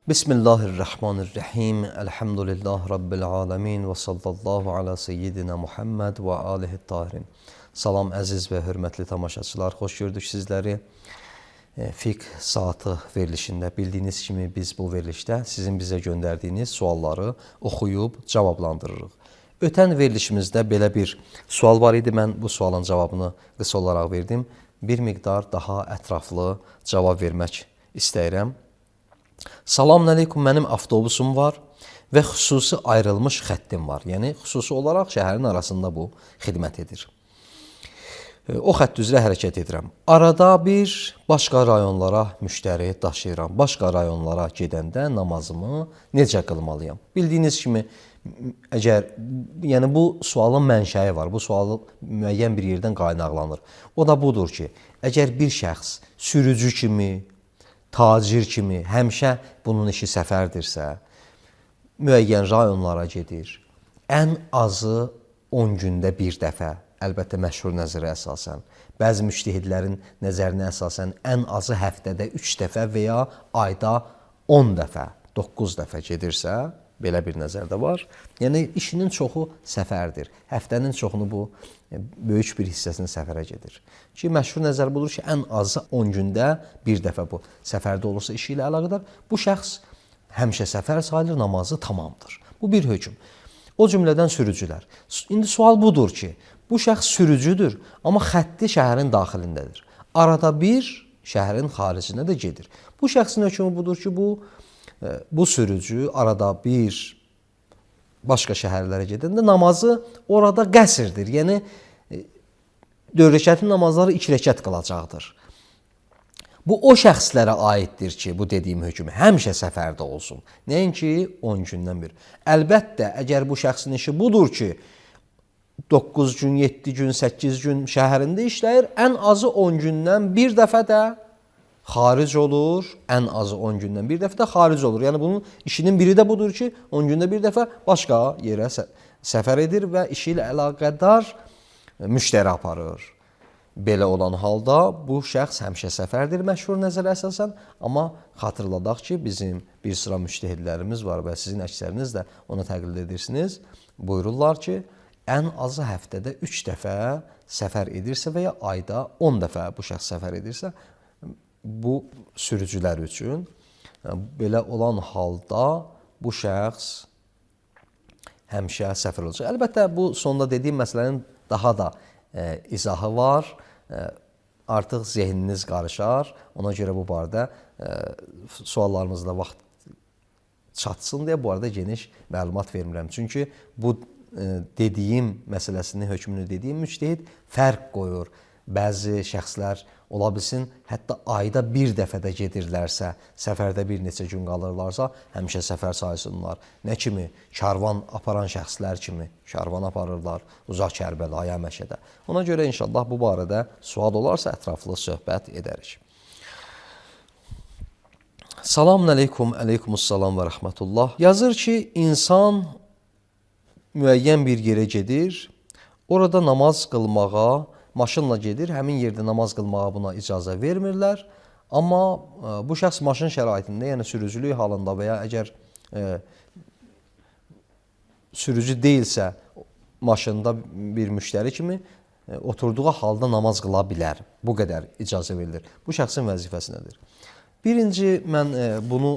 Bismillahirrahmanirrahim. Elhamdülillah Rabbil alemin ve sallallahu ala seyyidina Muhammed ve alihi tahirin. Salam əziz və hörmətli tamaşaçılar, xoş gördük sizləri. Fiqh saatı verilişində bildiyiniz kimi biz bu verilişdə sizin bizə göndərdiyiniz sualları oxuyub cavablandırırıq. Ötən verilişimizdə belə bir sual var idi. Mən bu sualın cavabını qısa olaraq verdim. Bir miqdar daha ətraflı cavab vermək istəyirəm. Salamün aleyküm, mənim avtobusum var və xüsusi ayrılmış xəttim var. Yəni, xüsusi olaraq şəhərin arasında bu xidmət edir. O xətt üzrə hərəkət edirəm. Arada bir başqa rayonlara müştəri daşıyıram. Başqa rayonlara gedəndə namazımı necə qılmalıyam? Bildiyiniz kimi, yəni bu sualın mənşəyi var. Bu sualı müəyyən bir yerdən qaynaqlanır. O da budur ki, əgər bir şəxs sürücü kimi, tacir kimi həmişə bunun işi səfərdirsə, müəyyən rayonlara gedir, ən azı 10 gündə bir dəfə, əlbəttə məşhur nəzərə əsasən, bəzi müştəhidlərin nəzərinə əsasən ən azı həftədə 3 dəfə və ya ayda 10 dəfə, 9 dəfə gedirsə, belə bir nəzər də var. Yəni, işinin çoxu səfərdir. Həftənin çoxunu bu, böyük bir hissəsini səfərə gedir. Ki, məşhur nəzər budur ki, ən azı 10 gündə bir dəfə bu səfərdə olursa işi ilə əlaqədar, bu şəxs həmişə səfər sayılır, namazı tamamdır. Bu bir hökm. O cümlədən sürücülər. İndi sual budur ki, bu şəxs sürücüdür, amma xətti şəhərin daxilindədir. Arada bir şəhərin xaricində də gedir. Bu şəxsin hökmü budur ki, bu sürücü arada bir başqa şəhərlərə gedəndə namazı orada qəsrdir. Yəni, 4 rəkətli namazları 2 rəkət qılacaqdır. Bu, o şəxslərə aiddir ki, bu dediyim hökm həmişə səfərdə olsun. Nəinki 10 gündən bir. Əlbəttə, əgər bu şəxsin işi budur ki, 9 gün, 7 gün, 8 gün şəhərində işləyir, ən azı 10 gündən bir dəfə də xaric olur, ən azı 10 gündən bir dəfə də xaric olur. Yəni, bunun işinin biri də budur ki, 10 gündə bir dəfə başqa yerə səfər edir və işi ilə əlaqədar müştəri aparır. Belə olan halda bu şəxs həmişə səfərdir məşhur nəzərə əsasən, amma xatırladaq ki, bizim bir sıra müştəhidlərimiz var və sizin əksəriniz də ona təqlid edirsiniz. Buyururlar ki, ən azı həftədə 3 dəfə səfər edirsə və ya ayda 10 dəfə bu şəxs səfər edirsə, bu sürücülər üçün belə olan halda bu şəxs həmişə səfər olacaq. Əlbəttə, bu sonda dediyim məsələnin daha da izahı var. Artıq zehniniz qarışar. Ona görə bu barədə suallarınızda vaxt çatsın deyə bu arada geniş məlumat vermirəm. Çünki bu dediyim məsələsini, hökmünü dediyim müctəhid fərq qoyur. Bəzi şəxslər ola bilsin, hətta ayda bir dəfə də gedirlərsə, səfərdə bir neçə gün qalırlarsa, həmişə səfər saysınlar. Nə kimi? Karvan aparan şəxslər kimi karvan aparırlar uzaq Kərbəlaya, Məşədə. Ona görə inşallah bu barədə sual olarsa ətraflı söhbət edərik. Salamün aleyküm, aleykümüssalam və rəhmətullah. Yazır ki, insan müəyyən bir yerə gedir, orada namaz qılmağa maşınla gedir, həmin yerdə namaz qılmağa buna icazə vermirlər. Amma bu şəxs maşın şəraitində, yəni sürücülük halında və ya əgər sürücü deyilsə, maşında bir müştəri kimi oturduğu halda namaz qıla bilər. Bu qədər icazə verilir. Bu şəxsin vəzifəsi nədir? Birinci, mən bunu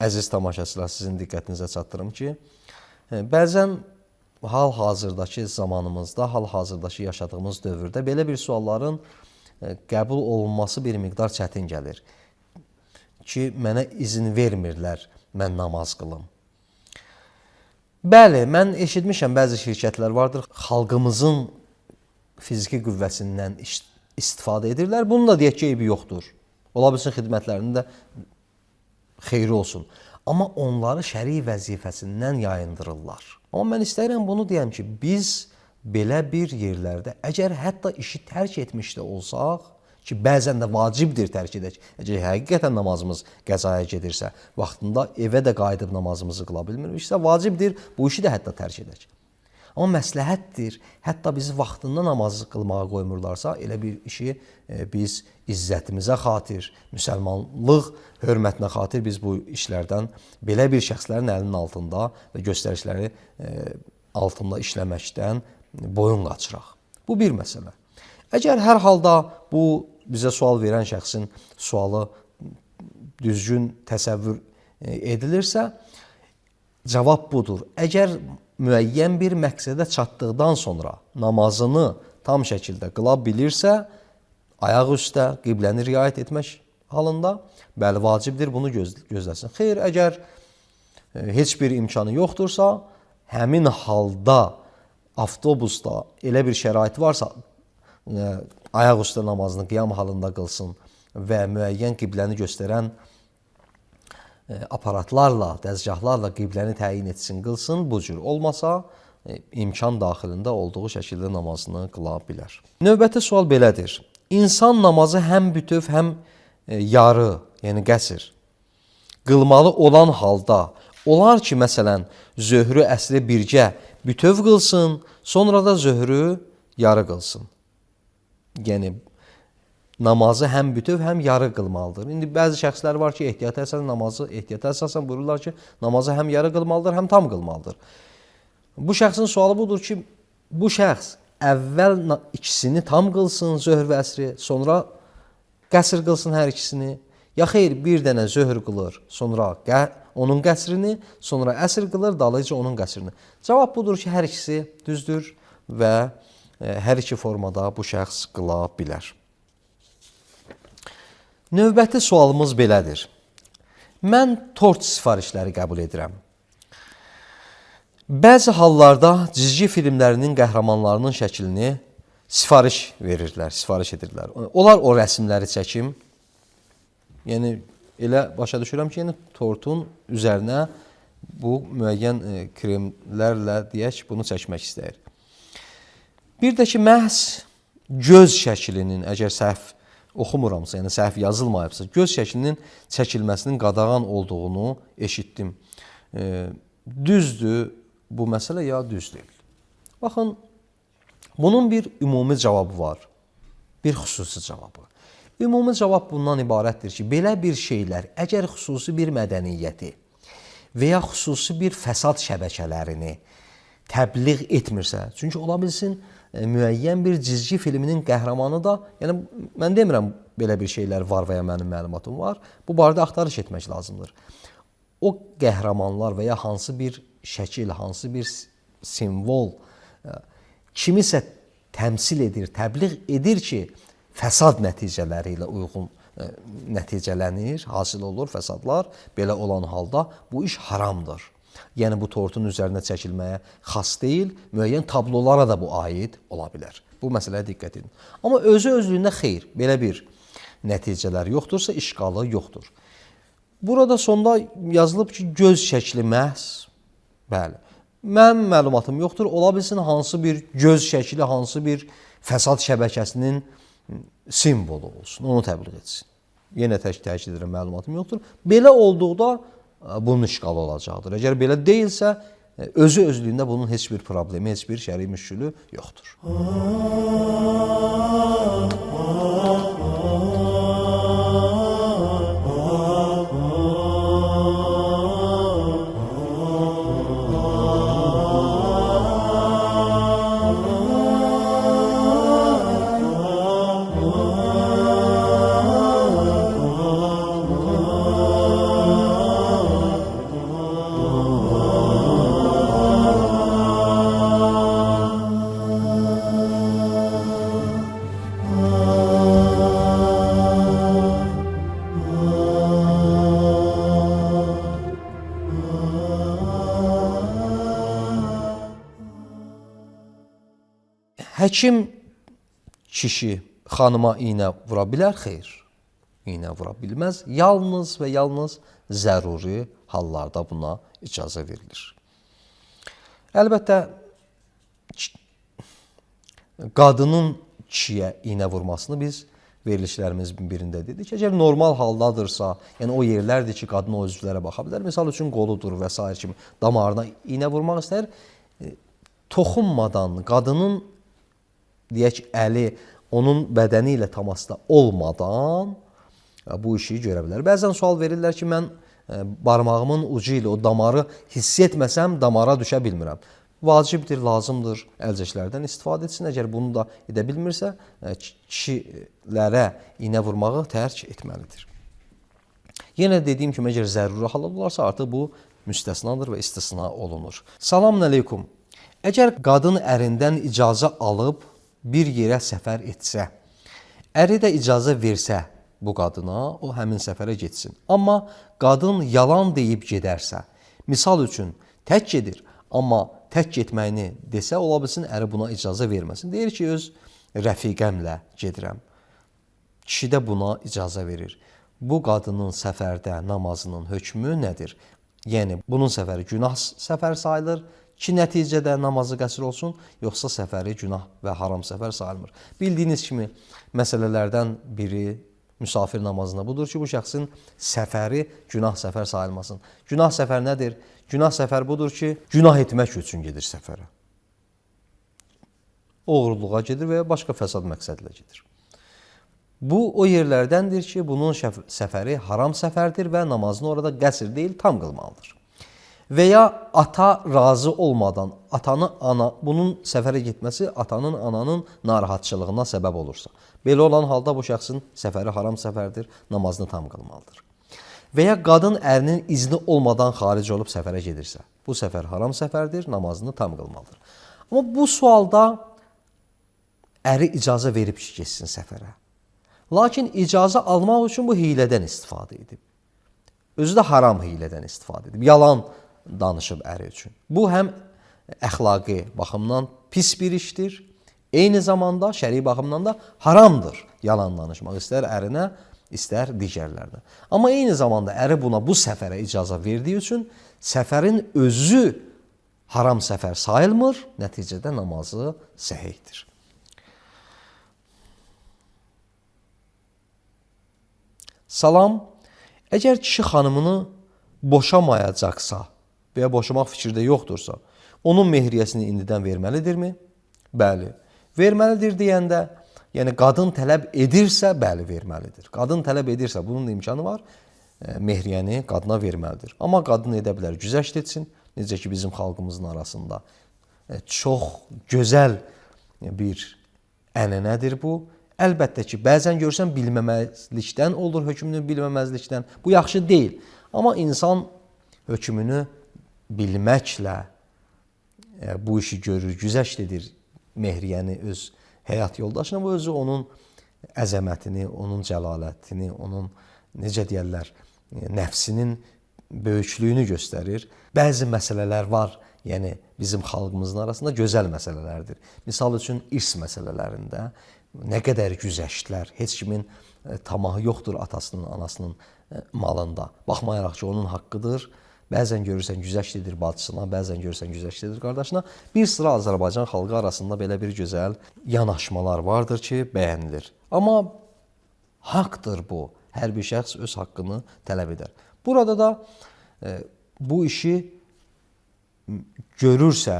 əziz tamaşaçılar sizin diqqətinizə çatdırım ki, bəzən hal-hazırdakı zamanımızda, hal-hazırdakı yaşadığımız dövrdə belə bir sualların qəbul olunması bir miqdar çətin gəlir. Ki, mənə izin vermirlər, mən namaz qılım. Bəli, mən eşitmişəm, bəzi şirkətlər vardır, xalqımızın fiziki qüvvəsindən istifadə edirlər. Bunun da deyək ki, eybi yoxdur. Ola bilsin, xidmətlərində xeyri olsun. Amma onları şəri vəzifəsindən yayındırırlar. Amma mən istəyirəm bunu deyəm ki, biz belə bir yerlərdə, əgər hətta işi tərk etmiş də olsaq, ki, bəzən də vacibdir tərk edək, əgər həqiqətən namazımız qəzaya gedirsə, vaxtında evə də qayıdıb namazımızı qıla bilmiriksə, vacibdir bu işi də hətta tərk edək. Amma məsləhətdir. Hətta bizi vaxtında namaz qılmağa qoymurlarsa, elə bir işi biz izzətimizə xatir, müsəlmanlıq hörmətinə xatir biz bu işlərdən belə bir şəxslərin əlinin altında və göstərişləri altında işləməkdən boyun qaçıraq. Bu bir məsələ. Əgər hər halda bu bizə sual verən şəxsin sualı düzgün təsəvvür edilirsə, cavab budur. Əgər müəyyən bir məqsədə çatdıqdan sonra namazını tam şəkildə qıla bilirsə, ayaq üstə qibləni riayət etmək halında, bəli, vacibdir, bunu gözləsin. Xeyr, əgər heç bir imkanı yoxdursa, həmin halda avtobusda elə bir şərait varsa, ayaq üstə namazını qiyam halında qılsın və müəyyən qibləni göstərən aparatlarla, dəzgahlarla qibləni təyin etsin, qılsın. Bu cür olmasa, imkan daxilində olduğu şəkildə namazını qıla bilər. Növbəti sual belədir. İnsan namazı həm bütöv, həm yarı, yəni qəsr qılmalı olan halda olar ki, məsələn, zöhrü, əsri birgə bütöv qılsın, sonra da zöhrü yarı qılsın. Yəni, namazı həm bütöv, həm yarı qılmalıdır. İndi bəzi şəxslər var ki, ehtiyata əsasən buyururlar ki, namazı həm yarı qılmalıdır, həm tam qılmalıdır. Bu şəxsin sualı budur ki, bu şəxs əvvəl ikisini tam qılsın, zöhr və əsri, sonra qəsr qılsın hər ikisini. Ya xeyr, bir dənə zöhr qılır, sonra onun qəsrini, sonra əsr qılır, dalayıcı onun qəsrini. Cavab budur ki, hər ikisi düzdür və hər iki formada bu şəxs qıla bilər. Növbəti sualımız belədir. Mən tort sifarişləri qəbul edirəm. Bəzi hallarda cizgi filmlərinin qəhrəmanlarının şəklini sifariş verirlər, sifariş edirlər. Onlar o rəsmləri çəkim. Yəni, elə başa düşürəm ki, yəni, tortun üzərinə bu müəyyən kremlərlə deyək, bunu çəkmək istəyir. Bir də ki, məhz göz şəklinin, əgər səhv oxumuramsa, yəni səhv yazılmayıbsa, göz şəklinin çəkilməsinin qadağan olduğunu eşitdim. Düzdür bu məsələ, ya düz deyil? Baxın, bunun bir ümumi cavabı var, bir xüsusi cavabı. Ümumi cavab bundan ibarətdir ki, belə bir şeylər, əgər xüsusi bir mədəniyyəti və ya xüsusi bir fəsad şəbəkələrini təbliğ etmirsə, çünki ola bilsin, müəyyən bir cizgi filminin qəhrəmanı da, yəni mən demirəm belə bir şeylər var və ya mənim məlumatım var, bu barədə axtarış etmək lazımdır. O qəhrəmanlar və ya hansı bir şəkil, hansı bir simvol kimisə təmsil edir, təbliğ edir ki, fəsad nəticələri ilə uyğun nəticələnir, hasil olur fəsadlar, belə olan halda bu iş haramdır. Yəni, bu tortun üzərinə çəkilməyə xas deyil, müəyyən tablolara da bu aid ola bilər. Bu məsələyə diqqət edin. Amma özü-özlüyündə xeyr, belə bir nəticələr yoxdursa, işqalı yoxdur. Burada sonda yazılıb ki, göz şəkli məhz, bəli, mənim məlumatım yoxdur, ola bilsin hansı bir göz şəkli, hansı bir fəsad şəbəkəsinin simvolu olsun, onu təbliğ etsin. Yenə təkid edirəm, məlumatım yoxdur. Belə olduqda bunun işqalı olacaqdır. Əgər belə deyilsə, özü-özlüyündə bunun heç bir problemi, heç bir şəri müşkülü yoxdur. Həkim kişi xanıma iynə vura bilər? Xeyr, iynə vura bilməz. Yalnız və yalnız zəruri hallarda buna icazə verilir. Əlbəttə, qadının kişiyə iynə vurmasını biz verilişlərimizin birində dedik. Əgər normal haldadırsa, yəni o yerlərdir ki, qadın o üzvlərə baxa bilər. Misal üçün qoludur və s. kimi damarına iynə vurmaq istəyir. toxunmadan, qadının deyək əli onun bədəni ilə təmasda olmadan bu işi görə bilər. Bəzən sual verirlər ki, mən barmağımın ucu ilə o damarı hiss etməsəm damara düşə bilmirəm. Vacibdir, lazımdır əlcəklərdən istifadə etsin. Əgər bunu da edə bilmirsə, kişilərə iynə vurmağı tərk etməlidir. Yenə dediyim kimi, əgər zəruri hallar olarsa, artıq bu müstəsnadır və istisna olunur. Salamun əleykum. Əgər qadın ərindən icazə alıb bir yerə səfər etsə, əri də icazə versə bu qadına, o həmin səfərə getsin. Amma qadın yalan deyib gedərsə, misal üçün tək gedir, amma tək getməyini desə, ola bilsin əri buna icazə verməsin. Deyir ki, öz rəfiqəmlə gedirəm. Kişi də buna icazə verir. Bu qadının səfərdə namazının hökmü nədir? Yəni, bunun səfəri günah səfər sayılır ki, nəticədə namazı qəsr olsun, yoxsa səfəri günah və haram səfər sayılmır. Bildiyiniz kimi, məsələlərdən biri müsafir namazında budur ki, bu şəxsin səfəri günah səfər sayılmasın. Günah səfər nədir? Günah səfər budur ki, günah etmək üçün gedir səfərə. Oğurluğa gedir və ya başqa fəsad məqsədlə gedir. Bu, o yerlərdəndir ki, bunun səfəri haram səfərdir və namazını orada qəsr deyil, tam qılmalıdır. Və ya ata razı olmadan, bunun səfərə getməsi atanın, ananın narahatçılığına səbəb olursa. Belə olan halda bu şəxsin səfəri haram səfərdir, namazını tam qılmalıdır. Və ya qadın ərinin izni olmadan xaric olub səfərə gedirsə, bu səfər haram səfərdir, namazını tam qılmalıdır. Amma bu sualda əri icazə verib ki, geçsin səfərə. Lakin icazə almaq üçün bu hilədən istifadə edib. Özü də haram hilədən istifadə edib. Yalan danışıb əri üçün. Bu, həm əxlaqi baxımdan pis bir işdir, eyni zamanda şəri baxımdan da haramdır yalan danışmaq. İstər ərinə, istər digərlərinə. Amma eyni zamanda əri buna bu səfərə icazə verdiyi üçün səfərin özü haram səfər sayılmır, nəticədə namazı səhihdir. Salam, əgər kişi xanımını boşamayacaqsa və ya boşamaq fikirdə yoxdursa, onun mehriyyəsini indidən verməlidirmi? Bəli. Verməlidir deyəndə, yəni qadın tələb edirsə, bəli, verməlidir. Qadın tələb edirsə, bunun da imkanı var, mehriyyəni qadına verməlidir. Amma qadın edə bilər, güzəşt etsin. Necə ki, bizim xalqımızın arasında çox gözəl bir ənənədir bu. Əlbəttə ki, bəzən görsən bilməməzlikdən olur, hökmünü bilməməzlikdən. Bu yaxşı deyil. Amma insan hökmünü bilməklə bu işi görür, güzəşt edir mehriyyəni öz həyat yoldaşına. Bu özü onun əzəmətini, onun cəlalətini, onun, necə deyərlər, nəfsinin böyüklüyünü göstərir. Bəzi məsələlər var, yəni bizim xalqımızın arasında gözəl məsələlərdir. Misal üçün, irs məsələlərində nə qədər güzəştlər, heç kimin tamahı yoxdur atasının, anasının malında. Baxmayaraq ki, onun haqqıdır. Bəzən görürsən güzəşt edir bacısına, bəzən görürsən güzəşt edir qardaşına. Bir sıra Azərbaycan xalqı arasında belə bir gözəl yanaşmalar vardır ki, bəyənilir. Amma haqdır bu. Hər bir şəxs öz haqqını tələb edər. Burada da bu işi görürsə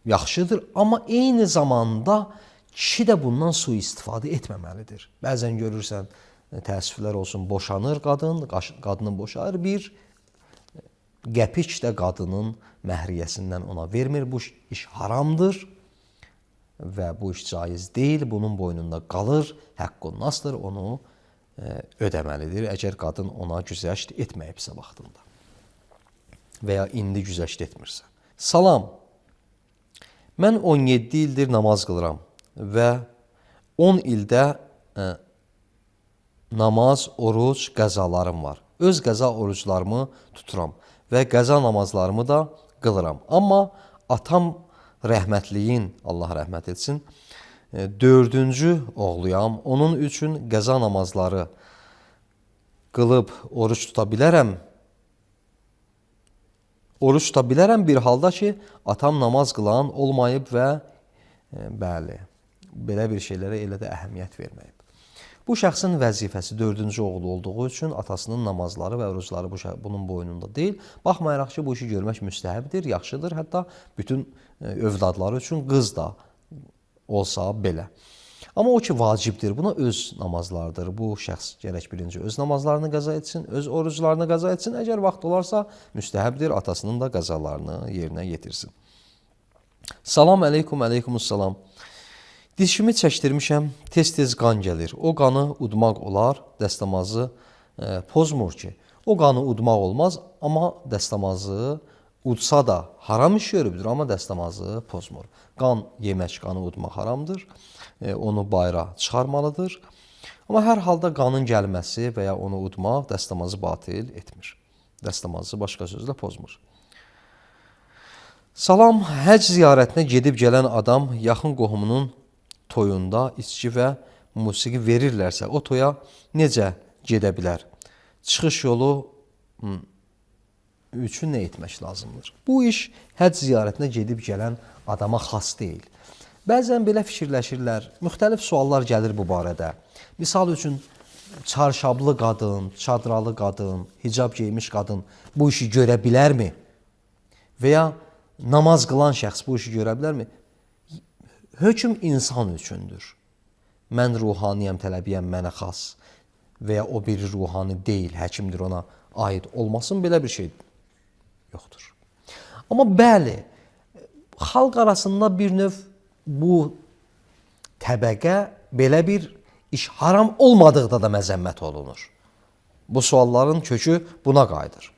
yaxşıdır, amma eyni zamanda kişi də bundan sui-istifadə etməməlidir. Bəzən görürsən, təəssüflər olsun, boşanır qadın, qadını boşayır, bir qəpik də qadının məhriyyəsindən ona vermir. Bu iş haramdır və bu iş caiz deyil, bunun boynunda qalır, həqqun nasdır, onu ödəməlidir, əgər qadın ona güzəşt etməyibsə vaxtında və ya indi güzəşt etmirsə. Salam, mən 17 ildir namaz qılıram və 10 ildə namaz, oruc, qəzalarım var. Öz qəza oruclarımı tuturam və qəza namazlarımı da qılıram. Amma atam rəhmətliyin, Allah rəhmət etsin, 4-cü oğluyam. Onun üçün qəza namazları qılıb oruc tuta bilərəm. Oruc tuta bilərəm bir halda ki, atam namaz qılan olmayıb və bəli, belə bir şeylərə elə də əhəmiyyət verməyib. Bu şəxsin vəzifəsi 4-cü oğlu olduğu üçün atasının namazları və orucları bunun boynunda deyil. Baxmayaraq ki, bu işi görmək müstəhəbdir, yaxşıdır. Hətta bütün övladları üçün qız da olsa belə. Amma o ki, vacibdir. Buna öz namazlardır. Bu şəxs gərək birinci öz namazlarını qəza etsin, öz oruclarını qəza etsin. Əgər vaxt olarsa, müstəhəbdir, atasının da qəzalarını yerinə yetirsin. Salam əleykum, əleykumussalam. Dişimi çəkdirmişəm, tez-tez qan gəlir. O qanı udmaq olar, dəstəmazı pozmur ki. O qanı udmaq olmaz, amma dəstəmazı udsa da haram iş görübdür, amma dəstəmazı pozmur. Qan yemək, qanı udmaq haramdır. Onu bayıra çıxarmalıdır. Amma hər halda qanın gəlməsi və ya onu udmaq dəstəmazı batil etmir. Dəstəmazı başqa sözlə pozmur. Salam, həcc ziyarətinə gedib gələn adam yaxın qohumunun toyunda içki və musiqi verirlərsə, o toya necə gedə bilər? Çıxış yolu üçün nə etmək lazımdır? Bu iş həcc ziyarətinə gedib gələn adama xas deyil. Bəzən belə fikirləşirlər, müxtəlif suallar gəlir bu barədə. Misal üçün, çarşablı qadın, çadralı qadın, hicab geymiş qadın bu işi görə bilərmi? Və ya namaz qılan şəxs bu işi görə bilərmi? Hökm insan üçündür. Mən ruhaniyəm, tələbiyəm, mənə xas və ya o biri ruhani deyil, həkimdir, ona aid olmasın, belə bir şey yoxdur. Amma bəli, xalq arasında bir növ bu təbəqə belə bir iş haram olmadıqda da məzəmmət olunur. Bu sualların kökü buna qayıdır.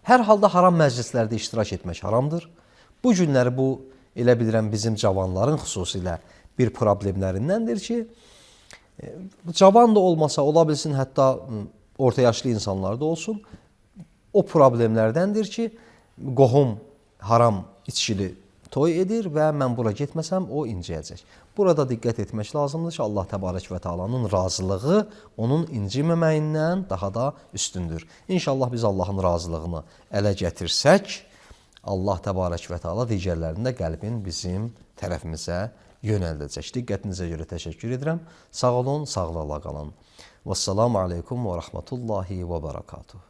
Hər halda haram məclislərdə iştirak etmək haramdır. Bu günləri bu, elə bilirəm, bizim cavanların xüsusilə bir problemlərindəndir ki, cavan da olmasa, ola bilsin, hətta orta yaşlı insanlar da olsun, o problemlərdəndir ki, qohum haram içkili toy edir və mən bura getməsəm, o inciyəcək. Burada diqqət etmək lazımdır ki, Allah Təbarək və Teala'nın razılığı onun inciməməyindən daha da üstündür. İnşallah biz Allahın razılığını ələ gətirsək, Allah Təbarək və Teala digərlərində qəlbin bizim tərəfimizə yönəldəcək. Diqqətinizə görə təşəkkür edirəm. Sağ olun, sağlıqla qalın. Vəssalamu aleykum və rəhmətullahi və bərəkatuhu.